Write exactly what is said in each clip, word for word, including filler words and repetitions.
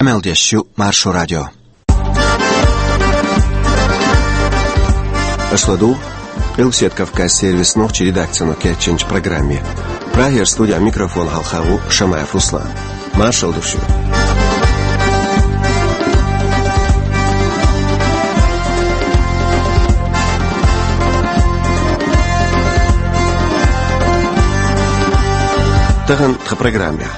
Къамел деш ю Маршо радио. Аша ладугӀу Къилбаседа Кавказан сервисан нохчийн редакцино кечйинчу программе. Прагера студин микрофона хьалха ву Шамаев Руслан. Маршалла ду шуьга. Тахана тхан программехь.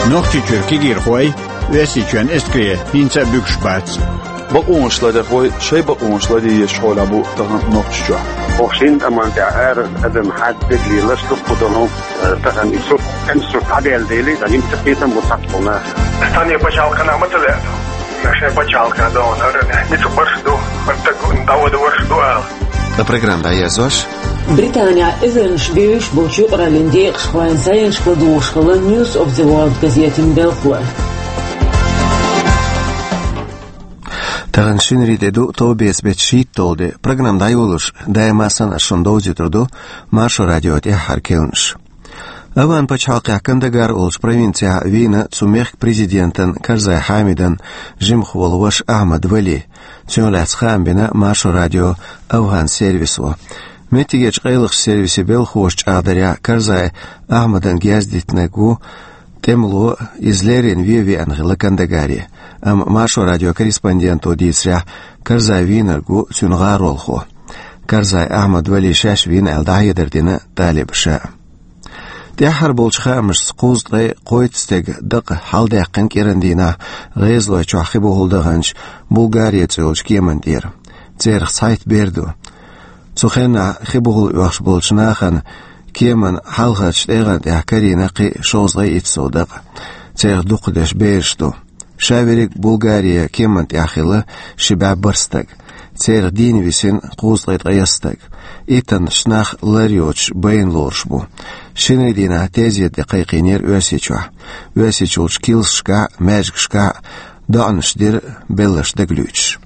Нохчийчуьра кегийрхой Оьрсийчоьнан эскаре хӀинца а буьгуш бац. Бакъонаш ларъярхой шайн бакъонаш ларъеш хьолехь бу тахана Нохчийчохь. Оха шина тӀаман тӀехь арара адам хьаьдда лелаш дуккха долу, э, тахана и сурт, кӀен сурт дӀаделла дели, дан имца кхетам бу цхьацца нах. Стане пачхьалкхана ма ца лаьа. Шайн пачхьалкхана догӀун хӀара, ницкъ барш ду, хӀара стаг дӀавада варш ду ала. Ткъа программа дӀаерзош. Британехь эзарнаш бевзаш болчу юкъараллин декъашхойн зӀенашка ладугӀуш хилла News of the World газетан белхало. Тахана шинарин де ду, товбеца беттан шийтталгӀа де. Программа дӀайолош, даима санна ас шуна довзуьйтур ду Маршо радион тӀаьххьара керланаш. Афган пачхьалкхехь Кандагар олучу провинцехь вийна цу мехкан президентан Карзай Хьамидан жимах волу ваша Ахьмад Вали. Цунах лаьцна хаам бина Маршо радион афган сервисо. Меттигерчу къайлахчу сервисан белхалоша чӀагӀдарехь, Карзай Ахьмадана герз дитинарг ву тӀемало, иза леррина вен веана хилла Кандагаре. Амма Маршо радион корреспонденто дийцарехь, Карзай вийнарг ву цуьнан гӀаролхо. Карзай Ахьмад Вали шаьш вийна аьлла дӀахьедар дина талибаша. ТӀаьххьара болчу хаамашца, кхузткъе кхойтта стеган дакъа хьаладаьккхина кӀиран дийнахь ГӀезалойчохь Хи-Бухал даханчу Булгари цӀе йолчу кеман тӀера. Церах цхьайтта бер ду. Цу хенахь Хи-Бухал оьхуш болчу нахана кеман хьалхарчу тӀегӀан тӀехь карийна кхин шовзткъе итт сов дакъа. Церах дукхахдерш бераш ду. Ша верриг Булгаре кеман тӀехь хилла ши бӀе бархӀ стаг. Церах дийна висина кхузткъе ткъайесна стаг. Иттаннаш нах лар йоцуш байна лоруш бу. Шинарин дийнахь тезета де кхайкхийнера Оьрсийчохь. Оьрсийчуьрчу килсашкахь а, маьждигашкахь а доӀанаш дира, белларш дагалуьйтуш.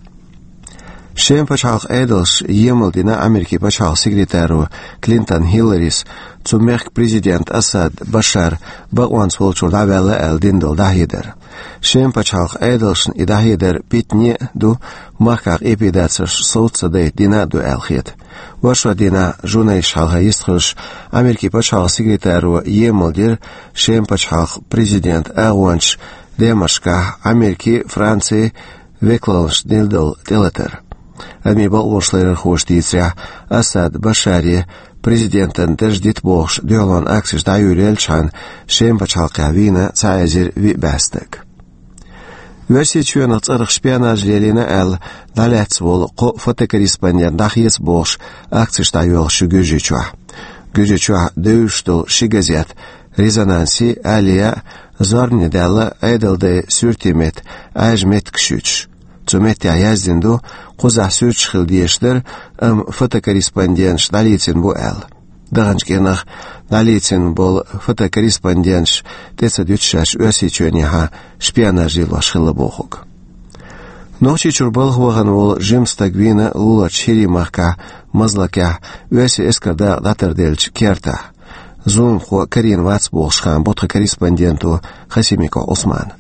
Шеман пачхьалкхан Ӏедалша емал дина Америкин пачхьалкхан секретаро Клинтон Хилларис цу мехкан президент Асад Башар бакъонца волчуьра дӀаваьлла аьлла дина долу дӀахьедар. Шеман пачхьалкхан Ӏедалшна и дӀахьедар питане а ду, махкахь къепедацарш совца ца дайта дина а ду аьлла хета. Оршот дийнахь журналисташна хьалха йистхуьлуш, Америкин пачхьалкхан секретаро емал дира Шеман пачхьалкхан президентан агӀончаша Даймаркашкахь Америкин, Францин векалшна дина долу тӀелатар. Адамийн бакъонаш ларъярхоша дийцарехь, Асад Башаре президентан дарж дита бохуш дуьхьалонан акцеш дӀайолаеллачхьана Шеман пачхьалкхехь вийна цхьа эзар виъ бӀе стаг. Оьрсийчоьнах цӀарах шпионаж лелийна аьлла дӀалаьцна волу кхо фотокорреспондент дӀахеца бохуш акцеш дӀайоьлху шун Гуьржийчохь. Гуьржийчохь девзаш долу ши газет «Резонанс» а, «Алия» а зорбане даьлла Ӏедалдайн суьртийн меттан Ӏаьржа меттигаш юьтуш. Цу меттехь яздина ду, кхузахь суьрташ хила дезаш дара, амма фотокорреспонденташа дӀалецна бу аьлла. Даханчу кӀирнах дӀалецна болу фотокорреспонденташ тӀе ца дуьту шаьш Оьрсийчоьнехьа шпионаж лелош хилла бохург. Нохчийчуьра балха вахана волу жима стаг вийна луларчу ХӀирийн махкахь Мазлакехь оьрсийн эскаран дакъа дӀатарделлачу кертахь. Зуламхо карийна вац бохуш хаам бу тхан корреспонденто Хасимиков Ӏусмана.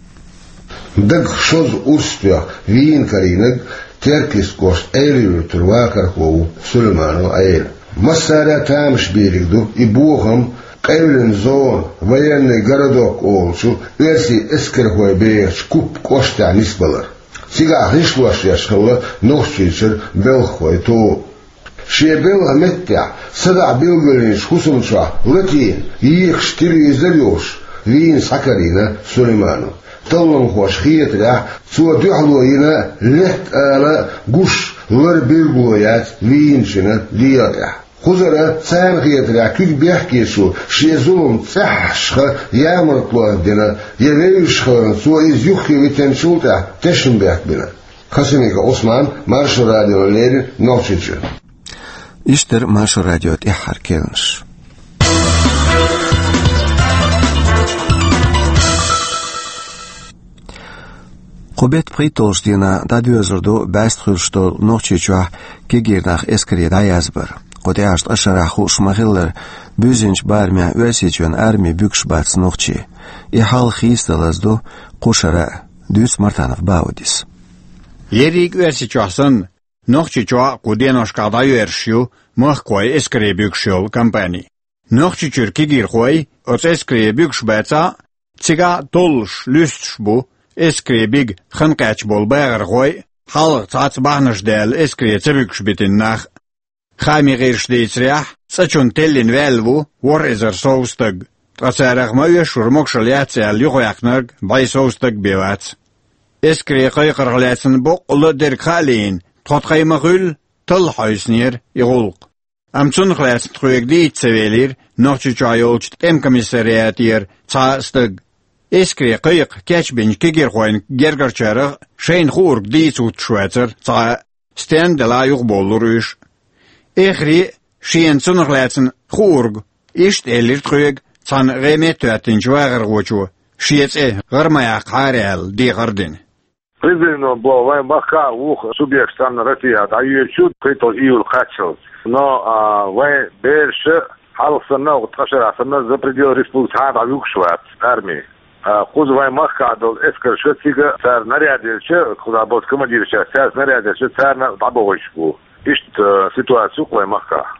Дагахь шозза урс тоьхна вийна карийнарг Теркйист кӀоштан Ӏела-Юьртара вахархо ву Сулейманов Ӏела. Массара а тамаш бийриг ду и бохам, къевлина зона, военный городок олучу оьрсийн эскархой бехачу Куппа кӀоштехь нисбалар. Цигахь гӀишлош еш хилла Нохчийчуьра белхахойн тоба. Шен белхан меттехь садаӀа билгалйинчу хӀусамчохь латийна, екаш телевизор а йолуш, вийна схьакарийна Сулейманов. Талламхоша хетарехь, цо дуьхьало йина летта ала гуш лар билгало яц вийначун дегӀан тӀехь. Кхузара, царна хетарехь, куьг бехкечо шен зулам цӀеххьашха ямартло дина, я вевзаш хиларна, цо иза юххе витинчул тӀаьхьа тешнабехк бина. Хасимиков Ӏусман, Маршо радиона леррина, Нохчийчуьра. Иштта дара Маршо радион тӀаьххьара керланаш. Кху беттан пхийтталгӀачу дийнахь дӀадоьзур ду бӀаьста хуьлуш долу Нохчийчохь кегийрхой эскаре дӀаязбар. Оцу тӀаьхьарчу шарахь хууш ма-хиллара, буьззинчу барамехь Оьрсийчоьнан арми буьгуш бац нохчий. И хьал хийцадалаза ду кху шарахь, дуьйцу Мартанов Баудис. Ерриг Оьрсийчохь санна, Нохчийчохь а кху деношкахь дӀайоьрзуш ю махкахой эскаре буьгуш йолу кампани. Нохчийчуьра кегийрхой оцу эскаре буьгуш бацахь а, цигахь а толлуш, луьстуш бу эскаре бига хан кхаьчна болу бахархой а, хьалха цхьацца бахьанаш даьлла эскаре ца буьгуш битина нах а. Хаамийн гӀирсаша дийцарехь, цӀа чунна теллина ваьлла ву ворхӀ эзар сов стаг, ткъа царах ма-оьшшура могушалла яц аьлла юхаваьккхинарг бӀе сов стаг бен вац. Эскаре кхайкхарх лаьцна боккъалла а дерг хаа лиъна, тхо тхайн ма-хуьллу, талла хьовсинера и гӀуллакх. Амма цунах лаьцна тхоьга дийца ца велира Нохчийчохь йолчу тӀеман комиссариатера цхьа а стаг. Эскаре кхайкха кечбинчу кегийрхойн гергарчарах а шайна хуург дийца хӀуттуш вацара цхьа а, стенна делахь а юхаболалура уьш. Эххар а шена цунах лаьцна хуург иштта элира тхоьга цхьана гӀеметта хӀоьттинчу вахархочо, шен цӀе гӀара ма яккхахьара аьлла, дехар а дина. Призвано болу вайн махкахь а вукху субъекташца цхьаьна Россехь дӀайоьдуш ю, кхин а июль кхаччалц. Но, а, вайн бераш хьалха санна, ткъа шарахь санна, за пределы республики цхьа а дӀавуьгуш вац арми. А, кхуза вайн махкахь долу эскарша цига цара наряд елча, кхузахь болчу командирша цаьрца наряд елча, царна дӀабохуьйтуш бу. Иштта, а, ситуаци ю-кх вайн махкахь.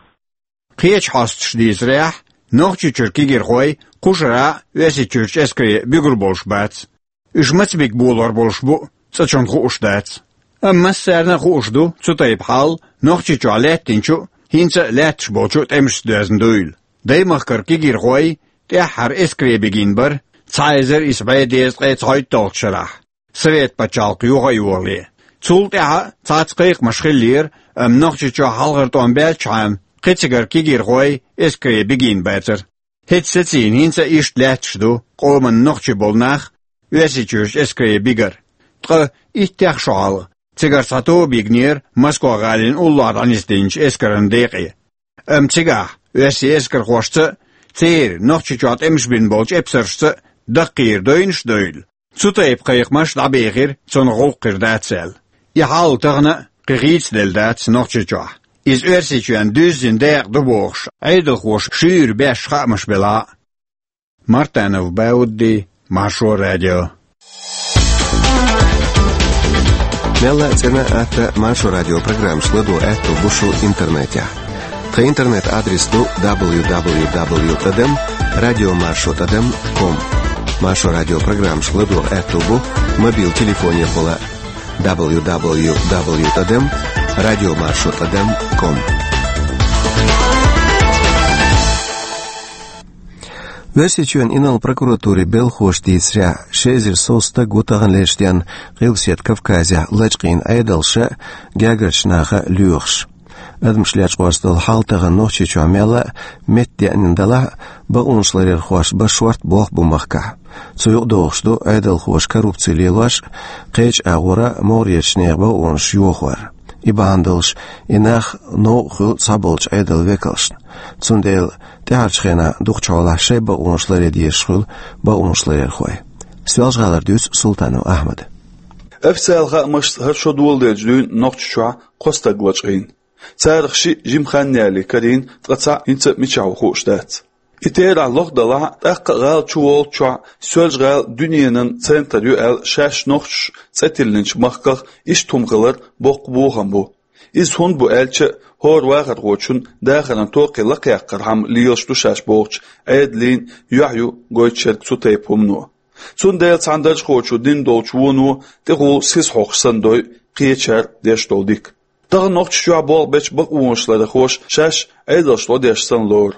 Кхечу хьосташа дийцарехь, Нохчийчуьра кегийрхой кху шарахь а Оьрсийчуьрчу эскаре буьгур болуш бац. Уьш маца бига болор болуш бу, цкъачунна хууш дац. Амма массарна а хууш ду цу тайпа хьал Нохчийчохь лаьттинчу а, хӀинца а лаьтташ болчу а тӀемашца доьзна дуйла. Даймахкара кегийрхой тӀаьххьара эскаре бигийна бара цхьа эзар исс бӀе дезткъе цхьайтталгӀачу шарахь, Совет пачхьалкх йоха а йолале. Цул тӀаьхьа цхьацца кхайкхамаш хиллера, амма Нохчийчохь хьалхара тӀом баьллачхьана кхин цигара кегийрхой эскаре бигийна бацара. ХӀетте сацийна хӀинца а иштта лаьтташ ду къоман нохчий болу нах Оьрсийчуьрчу эскаре бигар. Ткъа иттех шо хьалха цигара цхьа тоба йигнера Москва-гӀалин уллохь дӀанисдинчу эскаран декъе. Амма цигахь оьрсийн эскархошца а, церан Нохчийчохь тӀемаш бина болчу эпсаршца а даккхийра дойнаш а дойла, цу тайпа кхайкхамаш дӀабехира, цунах гӀуллакх хир дац аьлла. И хьал тахана а кхин хийцаделла дац Нохчийчохь. Иза Оьрсийчоьнна дуьззина дакъа ду бохуш, Ӏедалхоша шуьйра беш хаамаш белахь а. Мартанов Баудди, Маршо радио. Мелла а цӀена а, атта а Маршо радио программаш ладогӀа аьтто бу шун интернетехь. Тхан интернет-адрес ду дабл ю дабл ю дабл ю тӀадам радио маршо тӀадам ком. Маршо радио программаш ладогӀа аьтто бу мобил телефонехула дабл ю дабл ю дабл ю тӀадам радио маршо тӀадам ком. Оьрсийчоьнан инарла прокуратурин белхахоша дийцарехь, ши эзар сов стаг ву тахана лечденна Къилбаседа Кавказехь лачкъийна Ӏедалша а, гергарчу наха а лоьхуш. Адамаш лечкъорца долу хьал тахана Нохчийчохь мелла а меттадеанна далахь а, бакъонаш ларъярхошна бан шортта болх бу махкахь. Цу юкъа догӀуш ду Ӏедалхоша коррупци лелош а, кхечу агӀора могӀарерчу нехан бакъонаш йохор. И бахьана долуш, и нах новкъа хуьлу цхьаболчу Ӏедалан векалшна. Цундела тӀаьхьарчу хенахь дукхачу хьолахь шайн бакъонаш ларъян дезаш хуьлу бакъонаш ларъярхой. Соьлжа-ГӀалара дуьйцу Султанов Ахьмада. Официалан хаамашца, хӀара шо доладелча дуьйна Нохчийчохь кхо стаг лачкъийна. Царах шиъ жима хан ялале карийна, ткъа цхьаъ хӀинца а мичахь ву хууш дац. И терахь лохдалахь а, тӀаккха а гӀала чу воллучохь, Соьлжа-ГӀала дуьненан центр ю аьлла, шаьш нохчаша цӀе тиллинчу махках иштта хӀума хилар боккха бохам бу. Иза хӀунда бу аьлча а, хӀора вахархочун дахаран токхе лакхъяккхархьама лелаш ду шаьш бохучу Ӏедалан юьхь ю гойтуш ерг цу тайпа хӀумано. Цундела цхьана даржахочо дина долчу воно тӀехула сиз хьокхуш санна дой кхечара деш долу дика. Тахана Нохчийчохь болх бечу бакъонаш ларъярхоша шаьш Ӏедалшна гӀо деш санна лору.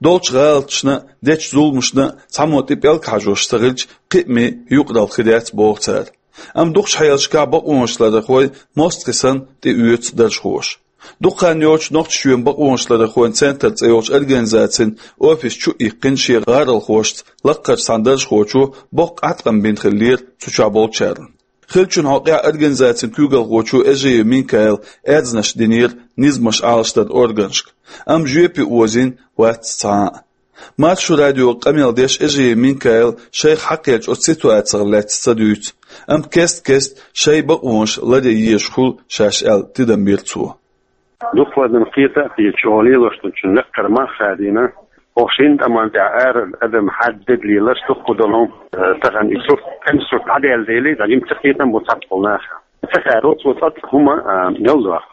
Долчу гӀалаташна а, дечу зуламашна а цхьаммо тӀе пӀелг хьажош ца хилча, кхиаме юкъаралла хир яц боху цара. Амма дукхачу хьелашкахь бакъонаш ларъярхой мостагӀий санна тӀеоьцу даржахоша. Дукха хан йоццуш Нохчийчоьнан бакъонаш ларъярхойн центр цӀе йолчу организацин офис чу а иккхина шен гӀаролхошца лакхарчу цхьана даржахочо боккха Ӏаткъам бина хиллера цу чохь болчарна. Хиллачун хьокъехь организацин куьйгалхочо Эжиев Минкаила аьрзнаш динера низамаш Ӏалашдаран органашка, амма жоьпе озийна вац цхьа а. Маршо радиога къамел деш Эжиев Минкаила шайх хьакхаьчча оцу ситуацех лаьцна ца дуьйцу, амма кест-кеста шайн бакъонаш ларъян езаш хуьлу шаьш аьлла тидам бира цо. Дукха вадана кхета а кхета, чӀоагӀа лелаш долчун лакхара мах хадийна. Оха шин тӀаман тӀехь ара адам хьаддед лелаш дукха долу, э, тахан и сурт, тӀеман сурт дӀаделдели, дӀа жимма ца кхетам бу цхьаболу нах. Ца хаьро цо цкъа хӀума, а, мел доху.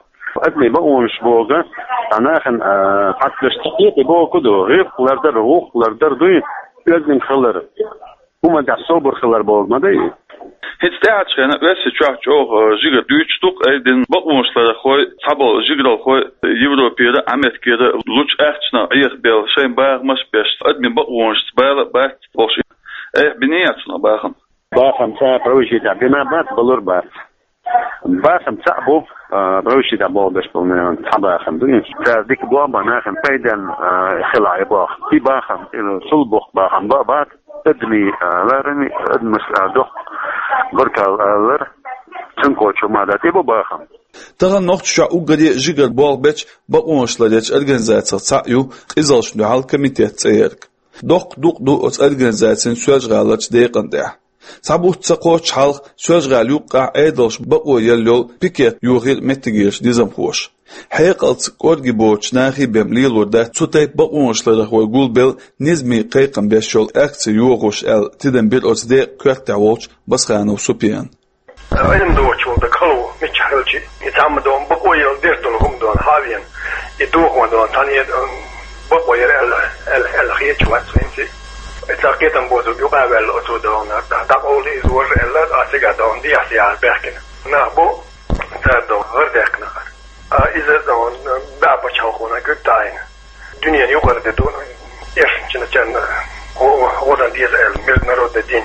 Адамийн бакъонаш боху, цхьа нахана, а, хаттарш ца кхетий боху ду, гӀиркъ лардар, гӀуллакх лардар дуй, оьздангалла хилар. ХӀуманна тӀехь собар хилар боху ма дай. ХӀинца тӀаьхьарчу хенахь Оьрсийчохь чӀогӀа жигара дуьйцуш ду-кх айдина бакъонашларъярхой, цхьаболу жигаралхой Европера, Америкера лучу ахчанах Ӏехабелла, шайн бахамаш а беш, адамийн бакъонашца бала а бац бохуш. Айхьа бина яц цунах бахам? Бахам цкъа а правительстве бина бац, балур бац. Бахам цхьаъ бу, а, правительстве боху беш болу нахана цхьа бахам ду. Цара дика боху боху нахана пайденна, а, хила а боху. И бахам, и сул боху бахам ба-, бац. Адамийн, а, ларами, адамаш, а, доккха баркалла алар, цунна кхочу ма дац, и бу бахам. Тахана Нохчийчохь уггаре а жигара болх бечу бакъонашларъярчу организацех цхьаъ ю Къизаллашна дуьхьал комитет цӀе ерг. Доккха дукъ ду оцу организацин Соьлжа-ГӀаларчу декъана тӀехь. Цхьа бутт ца кхоччу хьалха Соьлжа-ГӀала юккъехь Ӏедалша бакъо елла йолу пикет йохийра меттигерчу низамхоша. Хьекъалца кӀорге боцучу нахе бен лелор дац цу тайпа бакъонашларъярхой гулбелла низамийн кхайкхам беш йолу акци йохош аьлла, тидам бира оцу декъан коьртехь волчу Басханов Супьяна. Ӏилма доцуш волу дагахь хало миччахь хилча, и цхьамма дона бакъо елла дерг долу хӀума дона хьа а веана, и дохо дона цхьаьна, м, бакъо яра аьлла, аьлла, аьлла хеташ вац хӀинца. И цхьа кхетам боцург юкъа а ваьлла оцо дона, дӀакъовла иза вожа аьлла, а цигахь дона дехьа-сехьа баьхкина. Нах бу, цара дона гӀар даьккхина хӀара. А иза дона бӀе пачхьалкхо куьг таӀийна. Дуьненан юкъара де ду, эшначунна гӀо-, гӀо-, гӀо дан деза аьлла, международный день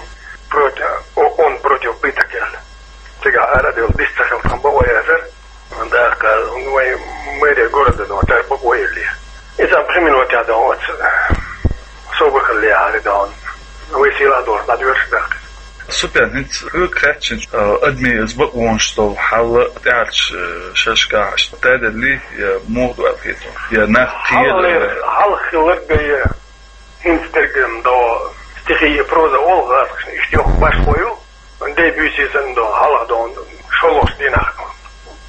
против, о-, он против пыток аьлла. Цигахь ара а девлла, дис ца хилла тхан бакъо яцара. ТӀаккха вайн мэрия города дона, цара бакъо еллера. Иза пхи минотехь дона оцу собар хилла лехьара дона. Вай сийлахь долуш дӀадоьрзуш даьккхира. Супьян, хӀинца хьоьга хаьттича, а, адамийн иза бакъонаш долу хьал тӀаьхьарчу, а, шерашкахь аша таделли, я муха ду аьлла хета, я нах кхера, хьалхалера, хьалха хилларг а, я хӀинца дерг а до стихи и проза олу гӀазкхашна, иштта йоккха башхо ю, дай буьйсий санна до, хьалха до, шолгӀачу дийнахь.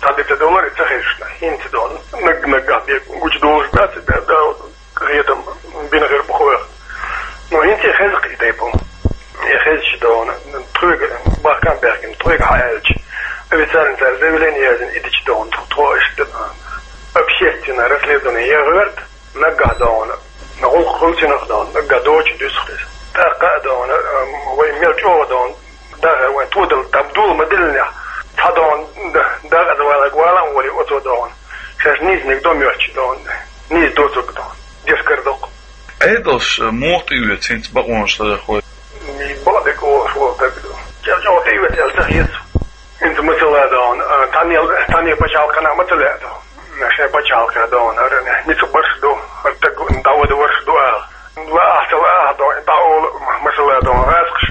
Цхьа де ца довлар и ца хезаш, хӀинца до, наг-наггахь бен гучудолуш бац, бен да, къинхетам бина хир бу хьоьга. Но хӀинца и хеза-кх и тайпа хӀума. И хезча дона, тхоьга бахкам баьхкина, тхоьга хьааьлча, официально цара заявление яздина, и дича дона, тхо иштта, общественное расследование ян гӀерта, наггахь дона, гӀуллакх хуьлу цунах дона, наггахь доцуш дуьсу-кх иза. ТӀаккха а дона, вай мел чӀогӀа дона, даха вайн тодал, там дула ма диллинехь, цхьа дона, да-, дакъаза валаг вала а волий оцо дона. Шаьш нийсаниг до моьттуш дона, нийса доцург дона. Дешкара доккху. Ӏедалш муха тӀеоьцу хӀинца бакъонашларъярхой? Бакъдерг олуш волу стаг ду. Чел чӀогӀа тӀеоьцу аьлла ца хета. ХӀинца масала дона, а, тхьане, тхьане пачхьалкхана ма ца лаьа дона. Шайн пачхьалкхехь дона, хӀара ницкъ барш ду, хӀара стаг дӀавада варш ду ала. Лаахь ца лаахь дона, и дӀаолу, масала дона, гӀазкхаш,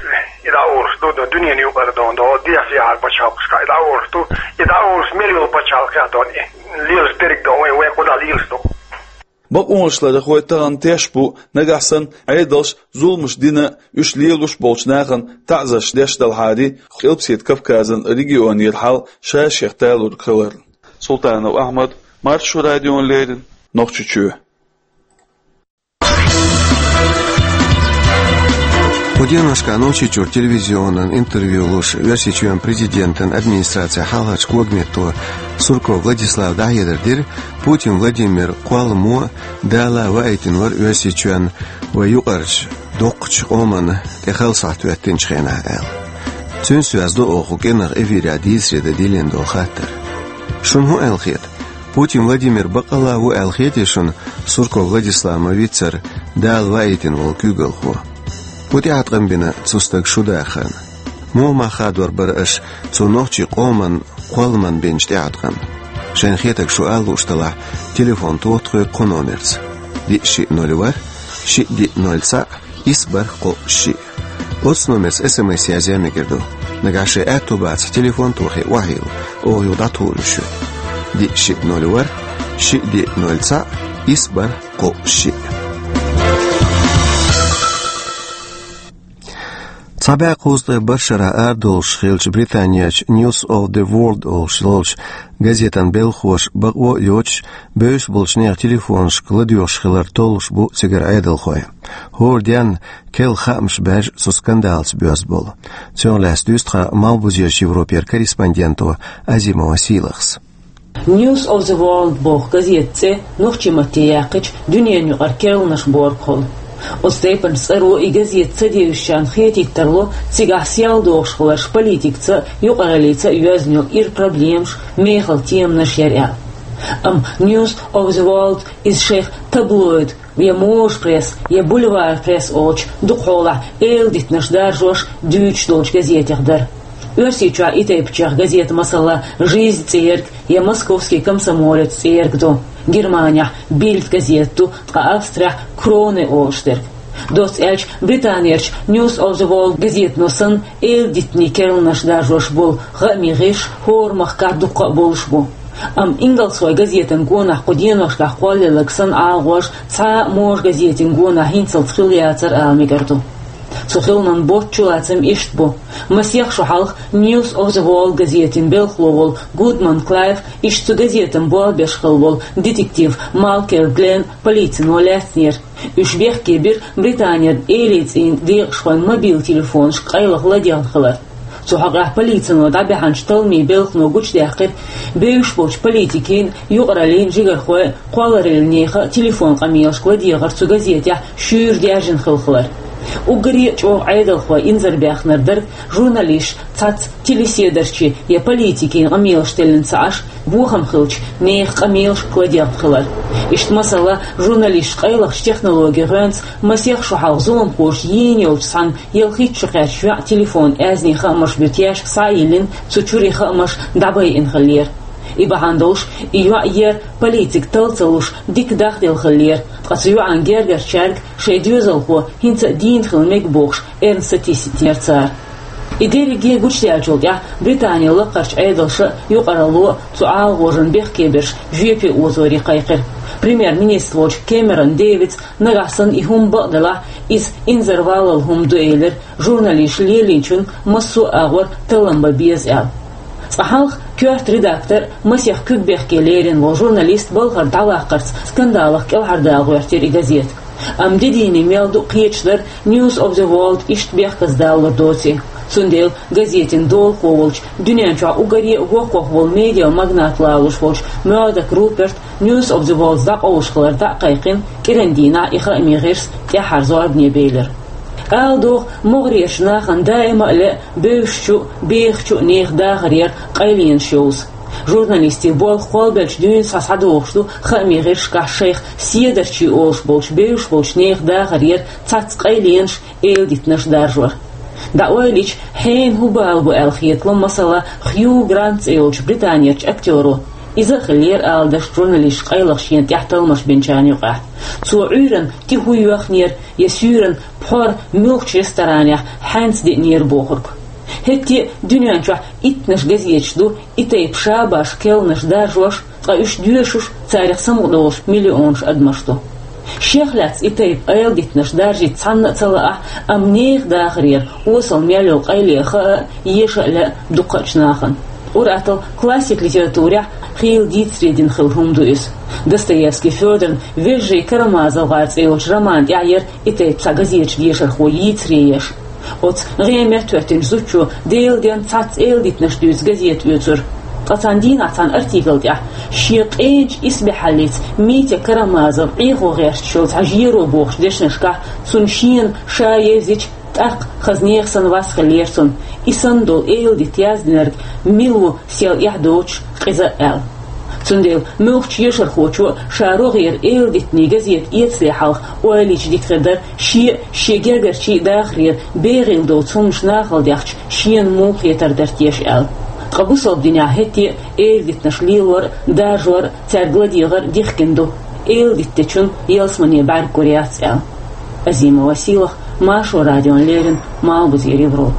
и дӀаолуш ду, дона, дуьненан юкъара дона, дона, дехьа-сехьара пачхьалкхашкахь и дӀаолуш ду, и дӀаолуш мел йолу пачхьалкхехь дона, и лелаш дерг дона, вайн, вайн кхузахь лелаш ду. Бакъонашларъярхой тахана теш бу, нагахь санна Ӏедалша зуламаш дина, уьш лелош болчу нахана таӀзарш деш далахьара, Къилбаседа Кавказан регионера хьал ша-шех талург хиларна. Султанов Ахьмад, Маршо радиона леррина, Нохчийчоь. Кху деношкахь Нохчийчуьра телевизионан интервью луш, Оьрсийчоьнан президентан администрацин хьалхарчу когаметто Сурков Владислава дӀахьедар дира, Путин Владимир кхолламо Дала ваийтина вара Оьрсийчоьнна вайн юкъарчу доккхачу къоманна тӀе хала сахьт хӀоьттинчу хенахь аьлла. Цуьнца доьзна ду оха кху кӀиранах эфирехь дийцаре дан диллина долу хаттар. Шуна хӀун аьлла хета? Путин Владимир баккъалла ву аьлла хетий шуна Сурков Владислав ма-виццара Дала ваийтина волу куьйгалхо? ХӀун тӀеӀаткъам бина цу стага шу дахарна? Муха мах хадор бара аша цу нохчийн къоманна кхолламна бинчу тӀеӀаткъамна? Шайн хетарг шу ала лууш делахь, телефон тоха тхоьга кху номерца: диъ шиъ ноль ворхӀ, шиъ диъ ноль цхьаъ, исс бархӀ кхоъ шиъ. Оцу номерца эс эм эс язъян мегар ду. Нагахь шайн аьтто бацахь, телефон тохий, охьайилла, оха юха дӀатухур ю шуьга. Диъ шиъ ноль ворхӀ, шиъ диъ ноль цхьаъ, исс бархӀ кхоъ шиъ. Цхьа бӀаь кхузткъеи барх шера арадолуш хиллачу Британерчу News of the World олуш йолчу газетан белхахоша бакъо а йоцуш, бевзаш болчу нехан телефонашка ладоьгӀуш хилар толлуш бу цигара Ӏедалхой. ХӀора денна керла хаамаш баьржа цу скандалца боьзна болу. Цунах лаьцна дуьйцу тхан Малхбузерчу Европера корреспонденто Азимова Сийлахьас. News of the World боху газетан цӀе нохчийн матте яьккхича дуьненаюкъара керланаш бохург хуьлу. Оцу тайпанчу цӀаро и газета ца девзачарна хетийта тарло, цигахь сел дохуш хиларш политикаца а, юкъараллица а йоьзна йолу ира проблемаш, мехала теманаш яра аьлла. Амма News of the World иза шайх таблоид, я можа пресса, я бульвар пресса олучу дукхахьолахь эладитанаш даржош, дуьйцуш долчу газетех дара. Оьрсийчохь и тайпанчех газета, масала, «Жизнь» цӀе ерг я «Московский комсомолец» цӀе ерг ду, Германехь «Бильд» газета ду, ткъа Австрехь «Кроне» олуш дерг. Доцца аьлча, Британерчу News of the World газетано санна, эладитанийн керланаш даржош болу хаамийн гӀирсаш хӀора махкахь дуккха а болуш бу. Амма ингалсхойн газетан гонахь кху деношкахь кхоллаелларг санна ӀалагӀожа цхьа а можа газетан гонахь хӀинцалц хилла яцара ала мегар ду. Цу хилман боцчу лацам иштта бу. Масех шо хьалха News of the World газетан белхало волу Гудман Клайв, иштта цу газетан болх беш хилла волу детектив Малкольм Глен полицино лаьцнера. Уьш бехке бира Британеран элийцӀийн декъашхойн мобил телефонашка къайлаха ладегӀна хилар. Цу хьокъехь полицино дӀабаьхьначу талламийн белхано гучудаьккхира, бевзаш болчу политикийн, юкъараллин жигархойн, кхоллараллин нехан телефон къамелашка ладегӀар цу газетехь шуьйра даьржина хилла хилар. Уггаре а чӀогӀа Ӏедалхой инзарбаьхнарг дара журналисташ цхьацца телеседарчийн я политикийн къамелаш теллина ца Ӏаш, бохам хиллачу нехан къамелашка ладегӀна хилар. Иштта, масала, журналисташ къайлахчу технологийн гӀоьнца масех шо хьалха зуламхоша йийна йолчу цхьана ялхитта шо кхаьчначу йоьӀан телефон аьзнийн хаамаш буьту яьшка схьа а йиллина, цу чуьра и хаамаш дӀабайина хиллера. И бахьана долуш и йоӀ ер политика талла ца луш дика дахделла хиллера, ткъа цу йоӀан гергарчаьрга шайн доьзалхо хӀинца а дийна хила мега бохуш, эрна сатийсинера цара. И дерриге гучудаьллачул тӀаьхьа Британин лакхарчу Ӏедалша а, юкъаралло а цу ӀалагӀожан бехке берш жоьпе озоре кхайкхира. Премьер-министр волчу Кэмерон Дэвида нагахь санна и хӀума бакъ делахь, иза инзарвалалла хӀума ду элира, журналисташа лелийначунна массо а агӀор таллам бан беза аьлла. Цкъа хьалха коьрта редактор а, масех куьг бехке лерина волу журналист балхара дӀаваккхарца скандалах кӀелхьардала гӀоьртира и газета. Амма де дийне мел ду кхеташ дара News of the World иштта бехказа далалур доций. Цундела газетин долахо волчу, дуьнен чохь уггаре а воккхах волу медиа магнат лалуш волчу Мёрдок Руперта News of the World дӀакъовлуш хилар дӀа а кхайкхина, кӀиран дийнахь и хаамийн гӀирс тӀаьххьара зорбане белира. Ала догӀу, могӀарерчу нахана даима а лаьа бевзачу а, бехачу а нехан дахарера къайленаш йовза. Журналистийн болх кхолбелча дуьйна схьа схьадогӀуш ду хаамийн гӀирсашкахь шайх седарчий олуш болчу бевзаш болчу нехан дахарера цхьацца къайленаш, эладитанаш даржор. ДӀаойлийча, хьенан хӀун бала бу аьлла хетало, масала, Хью Грант цӀе йолчу британерчу актёро. Иза а хиллера, ала дашна, журналисташа къайлаха шена тӀехь талламаш бинчарна юкъахь. Цо Ӏуьйранна тӀе хӀун йоьхнера, я суьйранна пхьор муьлххачу ресторанехь хьаьнца деънера бохург. ХӀетте а дуьнен чохь иттанаш газеташ ду и тайпа шабаш, керланаш даржош, ткъа уьш доьшуш, царах самукъадолуш миллионаш адамаш ду. Шех лаьцна и тайпа эладитанаш даржийта цхьанна а ца лаахь, амма нехан дахарера осал мел йолу къайле хаа а, еша а лаьа дуккхачу нахана. Ур-атталла классик литературехь хийла дийцаре дина хилла хӀума ду иза. Достоевский Фёдоран «Вежарий Карамазовгар» цӀе йолчу роман тӀехь яра и тайпа цхьа газеташ дешархо йийцаре еш. Оцу гӀеметтахӀоьттинчу зудчо Делан денна цхьацца эладитанаш дуьйцу газета оьцура. Ткъа цхьана дийнахь цхьана артикл тӀехь шен къенчу исбаьхьаллица Митя Карамазов Ӏехо гӀерташ йолу цхьа жеро бохучу дешнашкахь, цунна шена ша евзича, тӀаккха хаза нехан санна вас хиллера цунна. И санна долу эладита яздинарг мила ву сел эхь доцуш, къиза а аьлла. Цундела муьлххачу ешархочо а ша рогӀера эладитанийн газета эцале хьалха ойла йича дика хир дара, шен а, шен гергарчийн а дахарера бегӀийла доцу хӀуманаш нахала дехча, шена муха хетар дара теша аьлла. Ткъа бусалба динехь хӀетте а эладитанаш лелор а, даржор а, цаьрга ладегӀар а дихкина ду. Эладита дечунна ялсамане бӀаьрг гур яц аьлла. Азимова Сийлахь, Маршо радиона леррина, Малхбузера Европа.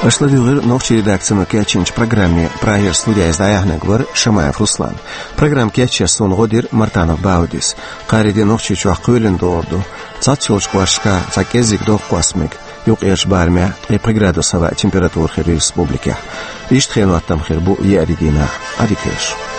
Аша ладугӀира нохчийн редакцино кечйинчу программе. Прагера студиехь иза дӀаяьхьнарг вара Шамаев Руслан. Программа кечъеш суна гӀо дира Мартанов Баудис. Кхаарин де Нохчийчохь кхоьлина догӀур ду. Цхьацца йолчу кӀошташкахь цхьа кӀеззиг дохкуш мега. Юккъерчу барамехь ткъе пхи градус хӀаваъ температура хир ю республикехь. Иштта хенан хӀоттам хир бу еарин дийнахь. Ӏадика йойла шун.